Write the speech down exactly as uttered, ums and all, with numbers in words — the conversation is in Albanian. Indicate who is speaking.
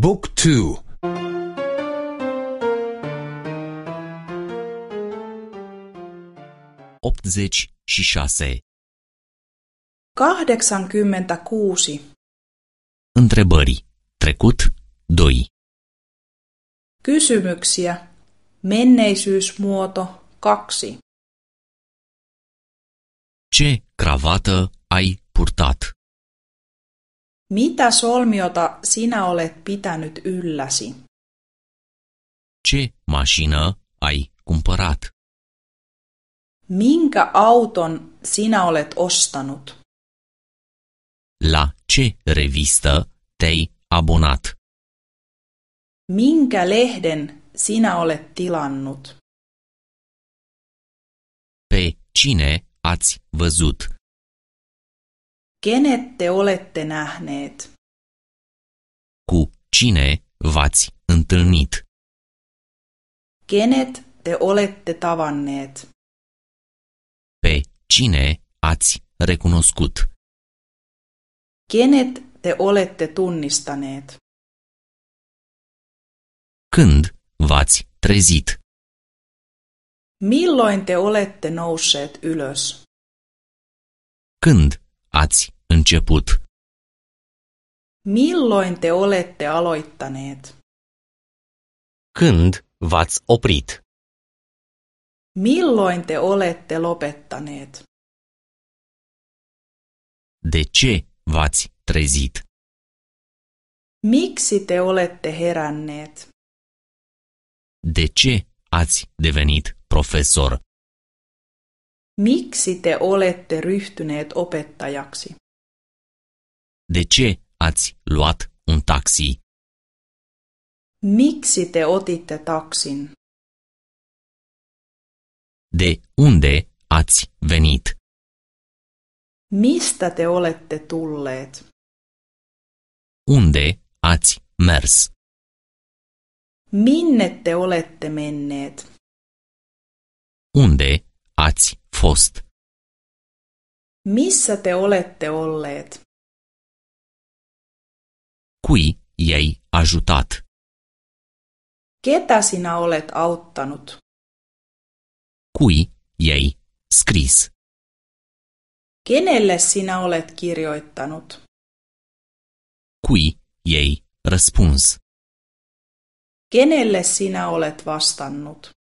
Speaker 1: Book two.
Speaker 2: Optzeci și șase.
Speaker 3: Kahdeksankymmentäkuusi.
Speaker 2: Întrebări. Trecut doi.
Speaker 3: Kysymyksiä. Menneisyysmuoto kaksi.
Speaker 2: Ce cravată ai purtat?
Speaker 3: Mitä solmiota sinä olet pitänyt ylläsi?
Speaker 2: Ce mașină ai cumpărat?
Speaker 3: Minkä auton sinä olet ostanut?
Speaker 2: La ce revistă te-ai abonat?
Speaker 3: Minkä lehden sinä olet tilannut?
Speaker 2: Pe cine ați văzut?
Speaker 3: Kenet te olette nähneet?
Speaker 2: Cu cine v-ați întâlnit?
Speaker 3: Kenet te olette tavanneet?
Speaker 2: Pe cine ați recunoscut?
Speaker 3: Kenet te olette tunnistaneet?
Speaker 2: Când v-ați trezit?
Speaker 3: Milloin te olette nousseet ylös?
Speaker 2: Când ați început?
Speaker 3: Milloin te olette aloittaneet?
Speaker 2: Când v-ați oprit?
Speaker 3: Milloin te olette lopettaneet?
Speaker 2: De ce v-ați trezit?
Speaker 3: Miksi te olette heränneet?
Speaker 2: De ce ați devenit profesor?
Speaker 3: Miksi te olette ryhtyneet opettajaksi?
Speaker 2: De ce ați luat un taxi?
Speaker 3: Miksi te otitte taksin?
Speaker 2: De unde ați venit?
Speaker 3: Mistä te olette tulleet?
Speaker 2: Unde ați mers?
Speaker 3: Minne te olette menneet?
Speaker 2: Unde ați fost?
Speaker 3: Missä te olette olleet?
Speaker 2: Cui i-ai ajutat?
Speaker 3: Ketä sinä olet auttanut?
Speaker 2: Cui i-ai scris?
Speaker 3: Kenelle sinä olet kirjoittanut?
Speaker 2: Cui i-ai răspuns?
Speaker 3: Kenelle sinä olet vastannut?